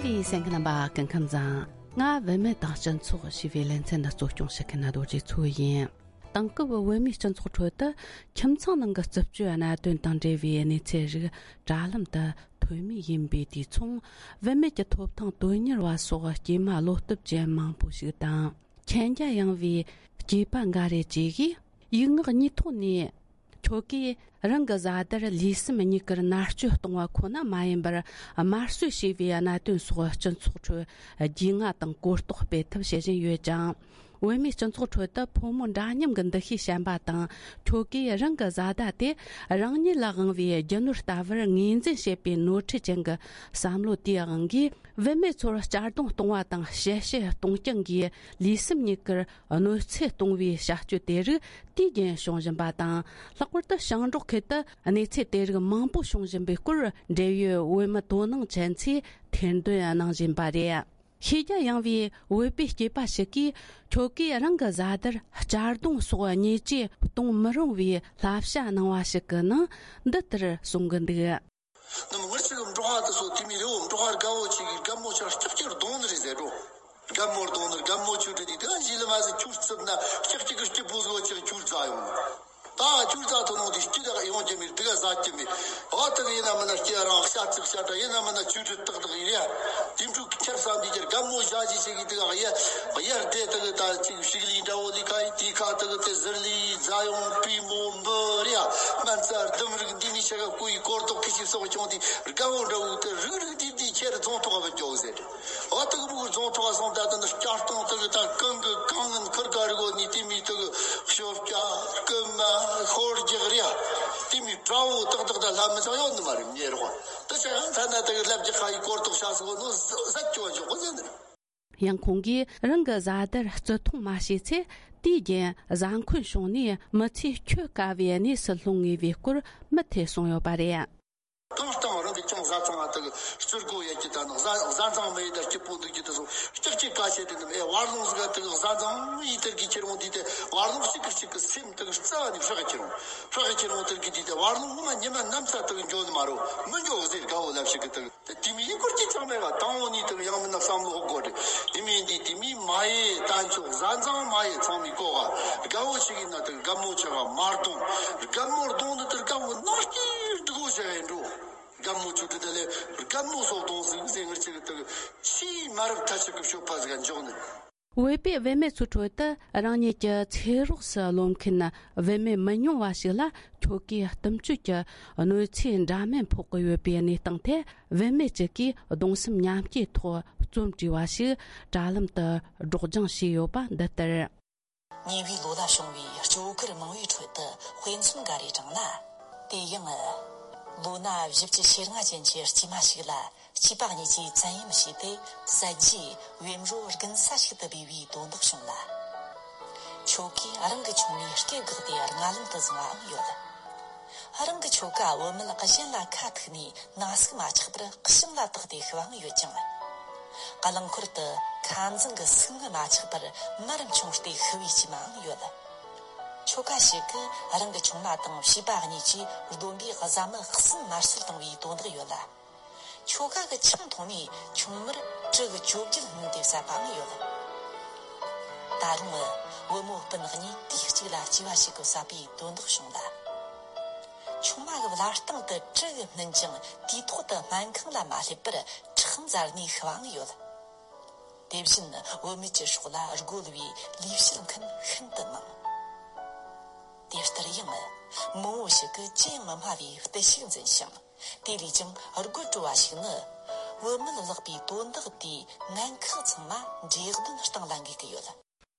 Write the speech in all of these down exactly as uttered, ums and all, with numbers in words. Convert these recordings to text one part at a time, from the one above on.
བའི་གསན་མཁན་རྣམ་པ་སྐུ་ཁམས་བཟང་། ང་བུད་མེད་དང་སྤྱི་ཚོགས་ཞེས་པའི་ལེ་ཚན་འདི་གཙོ་སྐྱོང་བྱེད་མཁན་རྡོ་རྗེ་མཚོ་ཡིན། དེང་སྐབས་བོད་མིའི་སྤྱི་ཚོགས་ཁྲོད་དུ་ཁྱིམ་ཚང་ནང་གི་རྩུབ་སྤྱོད་གནད་དོན་དང་འབྲེལ་བའི་གནས་ཚུལ་རིགས་དྲ་ལམ་དུ་ཐོན་མུས་ཡིན་པའི་དུས་མཚུངས། བུད་མེད་ཀྱི་ཐོབ་ཐང་དོན་གཉེར་བ་སོགས་སྐྱེས་མ་བློ་སྟོབས་ཅན་མང་པོ་ཞིག་དང་། མཁྱེན་རྒྱ་ཡངས་པའི་སྐྱེས་པ་འགའ་རེ་བཅས་ཀྱིས་ཡིག་ངག་གཉིས་ཐོག་ནས། ཁྱོ་གས་རང་གི་བཟའ་ཟླར་ལུས་སེམས་གཉིས་ཀར་མནར་གཅོད་གཏོང་བ་ཁོ་ན་མ་ཡིན་པར། དམར་གསོད་བྱས་པའི་གནད་དོན་སོགས་སྤྱི་ཚོགས་ཁྲོད་རྒྱུས་མངའ་དང་གོ་རྟོགས་སྤེལ་ཐབས་བྱེད་བཞིན་ཡོད་ཅིང་། བོད་མིའི་སྤྱི་ཚོགས་ཁྲོད་དུ་ཕོ་མོ་འདྲ་མཉམ་གྱི་འདུ་ཤེས་ཞན་པ་དང་། ཁྱོ་གས་རང་གི་བཟའ་ཟླ་དེ་རང་ཉིད་ལ་དབང་བའི་རྒྱུ་ནོར་ལྟ་བུར་ངོས་འཛིན་བྱེད་པའི་ནོར་འཁྲུལ་ཅན་གྱི་བསམ་བློ་དེའི་དབང་གིས། བུད་མེད་ཚོར་གཅར་རྡུང་གཏོང་བ་དང་གཤེ་གཤེ་གཏོང་རྐྱང་གིས་ལུས་སེམས་གཉིས་ཀར་གནོད་འཚེ་གཏོང་བའི་བྱ་སྤྱོད་དེ་རིགས་དུས་རྒྱུན་བྱུང་བཞིན་པ་དང་། ལྷག་པར་དུ་ཞིང་འབྲོག་ཁུལ་དུ་གནས་ཚུལ་དེ་རིགས་མང་པོ་བྱུང་བཞིན་པའི་སྐོར། འབྲེལ་ཡོད་བོད་མི་དོ་སྣང་ཅན་ཚོས་ཐེར་འདོན་གནང་བཞིན་པ་རེད། ཤེས་རྒྱ་ཡངས་པའི་བོད་པའི་སྐྱེས་པ་ཞིག་གིས། ཁྱོ་གས་རང་གི་བཟའ་ཟླར་གཅར་རྡུང་སོགས་ཉེས་ཆད་གཏོང་མི་རུང་བའི་བསླབ་བྱ་གནང་བ་ཞིག་གི་ནང་འདི་ལྟར་གསུང་གི་འདུག། ནམ་ངར་ཅིག་འབྲོག་པ་དེ་ཚོ་དེ་མི་རེ་བོ་འབྲོག་པ་རྒད་པོ་ཅིག་གིས་རྒན་མོ་ཅིག་ལྕགས་ཀྱིས་རྡུང་ནི་རེད་ཟེར་འགྲོ། རྒན་མོ་རྡུང་ནི་རྒན་མོ་ཆུ་དྲི་དེ་དེ་ག་ཞིག་ལ་མ་ཟེར། ཁྱུར་རྩིབ་ན་ལྕགས་ཀྱི་གི་སྐྱི་པོ་བཟོ་ཅིག་ཁྱུར་རྩ་ཡོང་། ད་ཁྱུར་རྩ་ཐོན་ནོ་དེ་སྐྱི་དག་ཡོང་གི་མི་དེ་ག་ཟ་གི་མི། ཨ་དེ་ག་ཡིན་ན་མིན་ན་སྐྱི་རང་ཤ་ཚིག་ཤ་འདྲ་ཡིན་ན་མིན་ན་ཆུ་དྲི་ཏག་ཏག་ཡིན་ཡ། དེ་འཕྲུག་ཁྱེར་བསམ་དེ་ཁྱེར་རྒན་མོ་ཞག་ཅིག་ཅིག་གི་དེ་ག་ཡ་ཡར་དེ་དེ་གི་ད་ཅིག་ཤིག་ལི་འདྲ་བོ་དེ་ག་ཡི་དེ་ཁ་དེ་གི་དེ་ཟིར་ལི་རྫ་ཡོང་པུས་མོ་འབུ་རེ་ཡ། སྨན་རྩྭ་ལྡུམ་རིགས་འདི་མི་ཆ་ག་ཀུ་ཡི་སྐོར་ཐོག་ཁི་ཆི་སོགས་བྱུང་དེ་རྒད་པོ་འདྲ་བོ་དེ་རིག་རིག་དེ་དེ་ཁྱེར་རྫོང་ཐོག་ག་བུད་འགྱོ་ཟེར། ཨ་དེ་གི་མུ་གུ་རྫོང་ཐོག་ག་སོང་ད་དེ་ནི་སྐྱ་སྟོང་དེ་གི་ད་གང་གི་གང་ངན་ཁུར་ག་རི་གོ་ནི་དེ་མི་དེ་གི་ཤོབ་སྐྱ་རྐུན་མ་ཤོར་རྒྱག་རེ་ཡ། དེ་མི་དགྲ་བོ་ཏག་ཏག་ད་ལྷ་མི་ཚང་ཡོད་ནི་མ་རེད་ཉེ་རོགས། དེ་ཆ་ཡང་ཐ་ན་དེ་གི་ལབ་རྒྱག་ཁ་ཡི་སྐོར་ཐོག་ཤ་སོགས་ནོ་ཟ་ཟ་སྐྱོ་འཇོག་གོ་ཟེར་ནི། ཡང་ཁོང་གིས་རང་གི་བཟའ་ཟླར་བརྩི་མཐོང་མ་བྱས་ཚེ། དུས་རྒྱུན་བཟའ་འཁོན་བྱུང་ནས་མི་ཚེ་འཁྱོལ་དཀའ་བའི་གནས་སུ་ལྷུང་ངེས་པའི་སྐོར་མུ་མཐུད་གསུངས་ཡོད་པ་རེད། གང་ལྟར་རང་གི་ཅུང་བཟའ་ཚང་ང་དག་སྤྱིར་གོ་ཡ་གི་ད་ནི་བཟའ་བཟའ་ཚང་མི་ཡི་ད་སྐྱིད་པོ་འདུག་གི་དེ་སོང་ལྕགས་ཀྱི་ཀ་ཆེ་དེ་ནི་ཨེ་བར་ལོང་ཟིག་ག་དག་བཟའ་ཚང་ཡི་དེར་གི་ཁྱེར་འོང་དུས་དེ་བར་ལོང་གཅིག་གི་གཅིག་གི་སེམས་དག་རྩ་བ་ནས་ཧྲག་གི་ཁྱེར་འོང་ཧྲག་གི་ཁྱེར་འོང་དེར་གི་དུས་དེ་བར་ལོང་ངོ་མ་ཉི་མ་གནམ་ས་དག་འགྱོ་ནི་མ་རོ་མི་འགྱོ་ཟེར་དགའ་བོ་ལབ་ཞིག་གི་དག་དེ་དེ་མི་ཡི་སྐོར་གྱི་ཚང་མས་ག་དང་བོ་ནི་དེ་ཡང་མིན་ན་བསམ་བློ་དགོས་རེད། དེ་མིན་དེ་དེ་མི་མ་ཡེ་ད་ཚོ་བཟའ་ཚང་མ་ཡེ་ཚང་མའི་གོ་ག་དགའ་བོ་ཞིག་ཡིན་ན་དེ་དགའ་མོ་ཆེ་ག་མར་གཏོང་། དགའ་མོར་གཏོང་ནི་དེ་དགའ་བོ་ནག་སྐྱིད་སྡུག་བོ་ཆེ་ག་ཡིན་འགྲོ། དགའ་མོ་ཆུ་དྲི་དེ་ལས་དགའ་མོ་སོགས་གཏོང་ཟིག་ཟེར་ངར་ཆེ་གི་དེ་ཆེས་མ་རབས་ཐ་ཆད་གི་ཤོད་པ་ཟིག་ག་འཇོག་ནི། བོད་པའི་བུད་མེད་ཚོའི་ཁྲོད་དུ་རང་ཉིད་ཀྱི་ཚེ་རོགས་སུ་རློམ་མཁན་བུད་མེད་མི་ཉུང་བ་ཞིག་ལ་ཁྱོ་གས་གཏུམ་སྤྱོད་ཀྱི་གནོད་འཚེ་འདྲ་མིན་ཕོག་གི་ཡོད་པའི་གནས་སྟངས་ཐད། བུད་མེད་ཅིག་གིས་གདུང་སེམས་མཉམ་སྐྱེད་ཐོག་རྩོམ་བྲིས་པ་ཞིག་དྲ་ལམ་དུ་སྒྲོག་སྦྱང་བྱས་ཡོད་པ་འདི་ལྟར། ཉེ་བའི་ལོ་ལ་བྱུང་བའི་སྐྱོ་གར་མང་བའི་ཁྲོད་དུ་དཔེ་མཚོན་འགའ་རེ་དྲངས་ན། དེ་ཡང་། ལོ་ན་བཞི་བཅུ་ཞེ་ལྔ་ཅན་གྱི་སྐྱེས་མ་ཞིག་ལ། སྐྱེས་པ་གཉིས་ཀྱིས་བཙན་གཡེམ་བྱས་ཏེ་བསད་རྗེས་བེམ་རོ་རྒུན་ས་ཞིག་ཏུ་སྦས་པའི་དོན་དག་བྱུང་ལ། ཁྱོ་གས་རང་གི་ཆུང་མའི་སྐེ་བགེགས་ཏེ་རྔ་ལམ་དུ་བཟུང་བའང་ཡོད། རང་གི་ཁྱོ་ག་བུད་མེད་གཞན་ལ་ཁ་ཐུག་ནས་ན་ཟུག་མ་ཆགས་པར་གཤམ་ལ་བཏགས་ཏེ་ཤི་བའང་ཡོད་ཅིང་། རླངས་འཁོར་དུ་ཁ་འཛིང་གི་ཟུག་རྔུ་མ་ཆགས་པར་མར་མཆོངས་ཏེ་ཤི་བའི་སྐྱེས་མའང་ཡོད། ཁྱོ་ག་ཞིག་གིས་རང་གི་ཆུང་མ་དང་བྱིས་པ་གཉིས་ཀྱིས་སྡོམ་པས་བཟའ་མི་གསུམ་དམར་གསོད་བཏང་བའི་དོན་དག་ཡོད་ལ། ཁྱོ་ག་གི་ཆང་འཐུང་ནས་ཆུང་མར་གྲི་གི་བཅོ་བརྒྱད་བསྣུན་ཏེ་བསད་པའང་ཡོད། ད་རུང་བུ་མོ་སྤུན་གཉིས་དུས་གཅིག་ལ་སྐྱེས་པ་ཞིག་གི་བསད་པའི་དོན་དག་བྱུང་ལ། ཆུང་མ་གི་བརླ་སྟེང་དུ་གྲི་གིས་བསྣུན་ཅིང་དུས་ཐོག་ཏུ་སྨན་ཁང་ལ་མ་སླེབས་པར་ཁྲག་འཛར་ནས་ཤི་བའང་ཡོད། དེ་བཞིན་བུད་མེད་ཀྱི་སྲོག་ལ་རྒོལ་བའི་ལས་བྱེད་མཁན་ཤིན་ཏུ་མང་། དེ་ལྟར་ཡང་མང་བོ་ཞིག་གིས་ཅི་ཡང་མི་སྨྲ་བའི་བརྟུལ་ཞུགས་འཛིན་ཞིང་། དེ་ལས་ཀྱང་རྒོད་བྲོ་བ་ཞིག་ནི། བུད་མེད་བརླག་པའི་དོན་དག་དེའི་ངན་ཁག་ཚང་མ་འདྲེ་གདོན་སྟེང་ལ་འགོས་ཀྱི་ཡོད།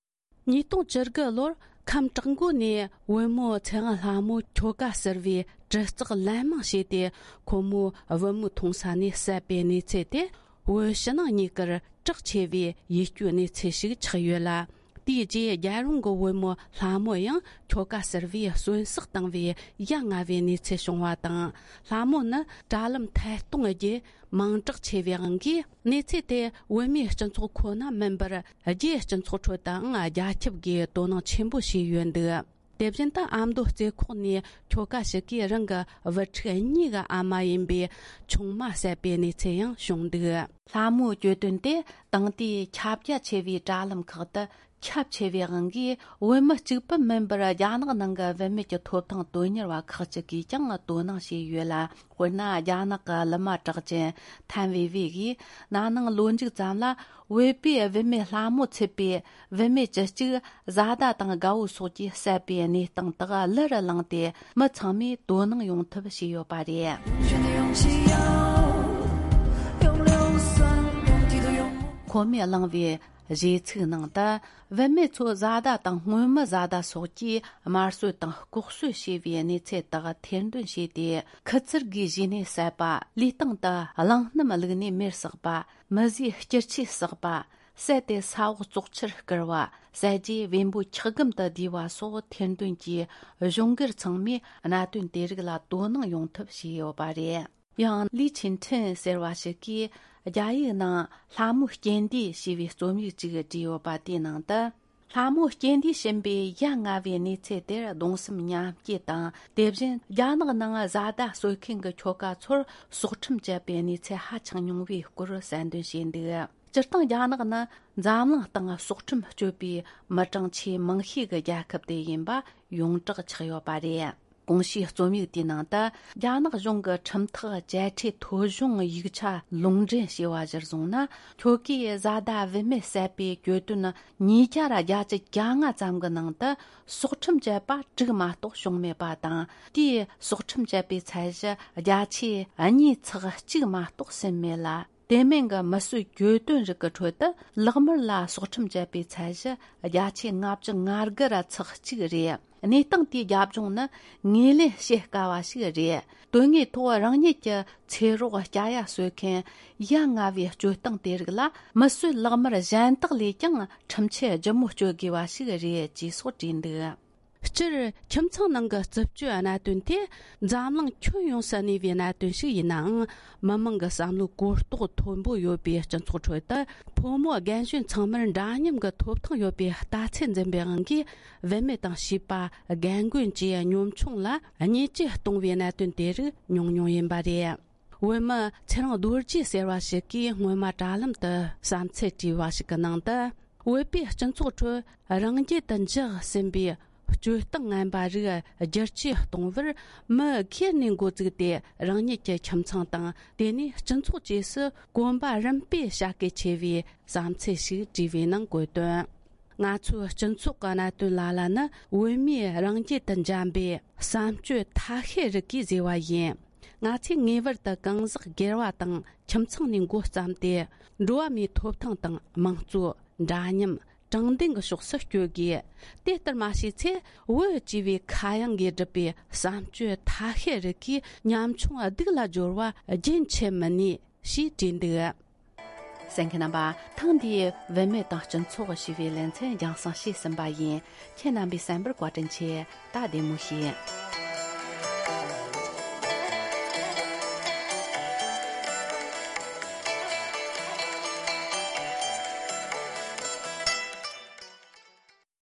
ཉིས་སྟོང་བཅུ་དགུ་ལོར་ཁམས་བྲག་མགོ་ནས་བུ་མོ་ཚེ་དབང་ལྷ་མོ་ཁྱོ་ག་ཟུར་བའི་གྲི་ལྕགས་ལན་མང་བྱས་ཏེ། ཁོ་མོ་བུ་མོ་མཐོང་ས་ནས་བསད་པའི་གནས་ཚུལ་དེ་བོད་ཕྱི་ནང་གཉིས་ཀར་གྲགས་ཆེ་བའི་ཡིད་སྐྱོའི་གནས་ཚུལ་ཞིག་ཆགས་ཡོད་ལ། དེའི་རྗེས་རྒྱལ་ཡོངས་ཀྱི་བུ་མོ་ལྷ་མོ་ཡང་ཁྱོ་ག་ཟུར་བས་གསོན་བསྲེགས་བཏང་བའི་ཡ་ང་བའི་གནས་ཚུལ་བྱུང་བ་དང་། ལྷ་མོ་ནི་དྲ་ལམ་ཐད་གཏོང་བརྒྱུད་མིང་གྲགས་ཆེ་བའི་དབང་གིས། གནས་ཚུལ་དེ་བོད་མིའི་སྤྱི་ཚོགས་ཁོ་ན་མིན་པར། རྒྱའི་སྤྱི་ཚོགས་ཁྲོད་དུའང་རྒྱ་ཁྱབ་ཀྱིས་དོ་སྣང་ཆེན་པོ་བྱས་ཡོད་འདུག། དེ་བཞིན་དུ་ཨ་མདོ་རྩེ་ཁོག་ནས་ཁྱོ་ག་ཞིག་གིས་རང་གི་བུ་ཕྲུག་གཉིས་ཀྱི་ཨ་མ་ཡིན་པའི་ཆུང་མ་བསད་པའི་གནས་ཚུལ་ཡང་བྱུང་འདུག། ལྷ་མོའི་གྱོད་དོན་དེ་དེང་དུས་ཁྱབ་རྒྱ་ཆེ་བའི་དྲ་ལམ་ཁག་ཏུ་ཁྱབ་ཆེ་བའི་དབང་གིས། བོད་མི་གཅིག་པུ་མིན་པར་རྒྱ་ནག་ནང་གི་བུད་མེད་ཀྱི་ཐོབ་ཐང་དོན་གཉེར་བ་ཁག་ཅིག་གིས་ཀྱང་དོ་སྣང་བྱས་ཡོད་ལ། དཔེར་ན། རྒྱ་ནག་གི་གླུ་མ་གྲགས་ཅན་ཐན་ཝེ་ཝེ་ཡིས་ན་ནིང་ལོ་མཇུག་ཙམ་ལ་བོད་པའི་བུད་མེད་ལྷ་མོ་ཚུད་པའི་བུད་མེད་བཅུ་གཅིག་བཟའ་ཟླ་དང་དགའ་བོ་སོགས་ཀྱིས་བསད་པའི་གནས་སྟངས་དག་གླུ་རུ་བླངས་ཏེ། མི་ཚང་མས་དོ་སྣང་ཡོང་ཐབས་བྱས་ཡོད་པ་རེད། ཁོ་མོས་བླངས་པའི་གཞས་ཚིག་ནང་དུ། བུད་མེད་ཚོ་བཟའ་ཟླ་དང་སྔོན་མི་བཟའ་ཟླ་སོགས་ཀྱིས་དམར་གསོད་དང་ལྐོག་གསོད་བྱས་པའི་གནས་ཚུལ་དག་ཐེར་འདོན་བྱས་ཏེ། ཁུ་ཚུར་གྱིས་གཞུས་ནས་བསད་པ། ལུས་སྟེང་དུ་གླང་སྣམ་བླུགས་ནས་མེར་བསྲེགས་པ། མི་བཟོས་སྐྱུར་ཆས་བསྲེགས་པ། བསད་དེ་ས་འོག་བཙོག་ཆུར་བསྐུར་བ། བསད་རྗེས་བེམ་པོའི་འཁྱག་སྒམ་དུ་བསྡུས་པ་སོགས་ཐེར་འདོན་གྱིས་གཞུང་སྒེར་ཚང་མས་གནད་དོན་དེ་རིགས་ལ་དོ་སྣང་ཡོང་ཐབས་བྱས་ཡོད་པ་རེད། ཡང་། ལི་ཆིན་ཁྲིན་ཟེར་བ་ཞིག་གིས་རྒྱ་ཡིག་ནང་ལྷ་མོའི་རྐྱེན་འདས་ཞེས་པའི་རྩོམ་ཡིག་ཅིག་བྲིས་ཡོད་པ་དེའི་ནང་དུ། ལྷ་མོའི་རྐྱེན་འདས་ཕྱིན་པའི་ཡ་ང་བའི་གནས་ཚུལ་དེར་གདུང་སེམས་མཉམ་སྐྱེད་དང་། དེ་བཞིན་རྒྱ་ནག་ནང་བཟའ་ཟླ་གསོད་མཁན་གྱི་ཁྱོ་ག་ཚོར་སྲོག་ཁྲིམས་བཅད་པའི་གནས་ཚུལ་ཧ་ཅང་ཉུང་བའི་སྐོར་གསལ་འདོན་བྱས་འདུག། སྤྱིར་བཏང་རྒྱ་ནག་ནི་འཛམ་གླིང་སྟེང་སྲོག་ཁྲིམས་གཅོད་པའི་མི་གྲངས་ཆེས་མང་ཤོས་ཀྱི་རྒྱལ་ཁབ་དེ་ཡིན་པ་ཡོངས་གྲགས་ཆགས་ཡོད་པ་རེད། གོང་ཞུས་རྩོམ་ཡིག་དེའི་ནང་དུ། རྒྱ་ནག་གཞུང་གི་ཁྲིམས་ཐག་བཅད་ཁྲའི་ཐོ་གཞུང་ཡིག་ཆ་ལུང་འདྲེན་བྱས་པ་གཞིར་བཟུང་ན། ཁྱོ་གའི་བཟའ་ཟླ་བུད་མེད་བསད་པའི་གྱོད་དོན་ཉིས་བརྒྱ་ར་བརྒྱད་ཅུ་གྱ་ལྔ་ཙམ་གྱི་ནང་དུ། སྲོག་ཁྲིམས་བཅད་པ་དྲུག་མ་གཏོགས་བྱུང་མེད་པ་དང་། དེའི་སྲོག་ཁྲིམས་བཅད་པའི་ཚད་གཞི་བརྒྱ་ཆའི་གཉིས་ཚེག་གཅིག་མ་གཏོགས་ཟིན་མེད་ལ། དེ་མིན་གྱི་མི་གསོད་གྱོད་དོན་རིགས་ཀྱི་ཁྲོད་དུ། ལག་དམར་ལ་སྲོག་ཁྲིམས་བཅད་པའི་ཚད་གཞི་བརྒྱ་ཆའི་ལྔ་བཅུ་ང་དགུ་ར་ཚེག་གཅིག་རེད། གནས་སྟངས་དེའི་རྒྱབ་ལྗོངས་ནི་ངོས་ལེན་བྱེད་དཀའ་བ་ཞིག་རེད། དོན་དངོས་ཐོག་རང་ཉིད་ཀྱི་ཚེ་རོགས་སྐྱ་ཡ་གསོད་མཁན་ཡ་ང་བའི་སྤྱོད་སྟངས་དེ་རིགས་ལ། མི་གསོད་ལག་དམར་གཞན་དག་ལས་ཀྱང་ཁྲིམས་ཆད་ལྗིད་མོ་གཅོད་དགོས་པ་ཞིག་རེད་ཅེས་སོགས་བྲིས་འདུག། སྤྱིར། ཁྱིམ་ཚང་ནང་གི་རྩུབ་སྤྱོད་གནད་དོན་དེ་འཛམ་གླིང་ཁྱོན་ཡོངས་སུ་གནས་པའི་གནད་དོན་ཞིག་ཡིན་ནའང་། མི་མང་གི་བསམ་བློའི་གོ་རྟོགས་མཐོན་པོ་ཡོད་པའི་སྤྱི་ཚོགས་ཁྲོད་དུ། ཕོ་མོ་རྒན་གཞོན་ཚང་མར་འདྲ་མཉམ་གྱི་ཐོབ་ཐང་ཡོད་པའི་ལྟ་ཚུལ་འཛིན་པའི་དབང་གིས། བུད་མེད་དང་བྱིས་པ། རྒན་རྒོན་བཅས་གཉོམ་ཆུང་ལ་བརྙས་བཅོས་གཏོང་བའི་གནད་དོན་དེ་རིགས་ཉུང་ཉུང་ཡིན་པ་རེད། བོད་མི་ཚེ་རིང་རྡོ་རྗེ་ཟེར་བ་ཞིག་གིས་སྔོན་མ་དྲ་ལམ་དུ་བསམ་ཚུལ་བྲིས་པ་ཞིག་གི་ནང་དུ། བོད་པའི་སྤྱི་ཚོགས་ཁྲོད་རང་རྒྱུད་དུ་འཇགས་ཟིན་པའི་སྤྱོད་སྟངས་ངན་པ་རིགས་བསྒྱུར་བཅོས་གཏོང་བར། མི་སྒེར་ནས་འགོ་བཙུགས་ཏེ། རང་ཉིད་ཀྱི་ཁྱིམ་ཚང་དང་། དེ་ནས་སྤྱི་ཚོགས་བཅས་སུ་གོམ་པ་རིམ་སྤོས་བྱ་གལ་ཆེ་བའི་བསམ་ཚུལ་ཞིག་བྲིས་པའི་ནང་བཀོད་དོན། ང་ཚོའི་སྤྱི་ཚོགས་ཀྱི་གནད་དོན་ལ་ལ་ནི། བོད་མིའི་རང་རྒྱུད་དུ་འབྱམས་པའི་བསམ་སྤྱོད་ཐ་ཤལ་རིགས་ཀྱིས་བཟོས་པ་ཡིན། ང་ཚོས་ངེས་པར་དུ་གང་ཟག་སྒེར་བ་དང་ཁྱིམ་ཚང་ནས་འགོ་བརྩམས་ཏེ། འགྲོ་བ་མིའི་ཐོབ་ཐང་དང་དམངས་གཙོ། འདྲ་མཉམ། དྲང་བདེན་གྱི་ཕྱོགས་སུ་བསྐྱོད་དགོས། དེ་ལྟར་མ་བྱས་ཚེ། བོད་ཅེས་པའི་ཁ་གཡང་གིས་བསྒྲུབས་པའི་བསམ་སྤྱོད་ཐ་ཤལ་རིགས་ཀྱིས་ཉམ་ཆུང་སྡུག་ལ་སྦྱོར་བ་རྒྱུན་ཆད་མི་ནུས། ཞེས་བྲིས་འདུག། གསན་མཁན་རྣམ་པ། ཐེངས་འདིའི་བུད་མེད་དང་སྤྱི་ཚོགས་ཞེས་པའི་ལེ་ཚན་རྒྱང་སྲིང་བྱས་ཟིན་པ་ཡིན། ཁྱེད་རྣམ་པས་གསན་པར་བཀའ་དྲིན་ཆེ། ད་བདེ་མོ་བྱོས།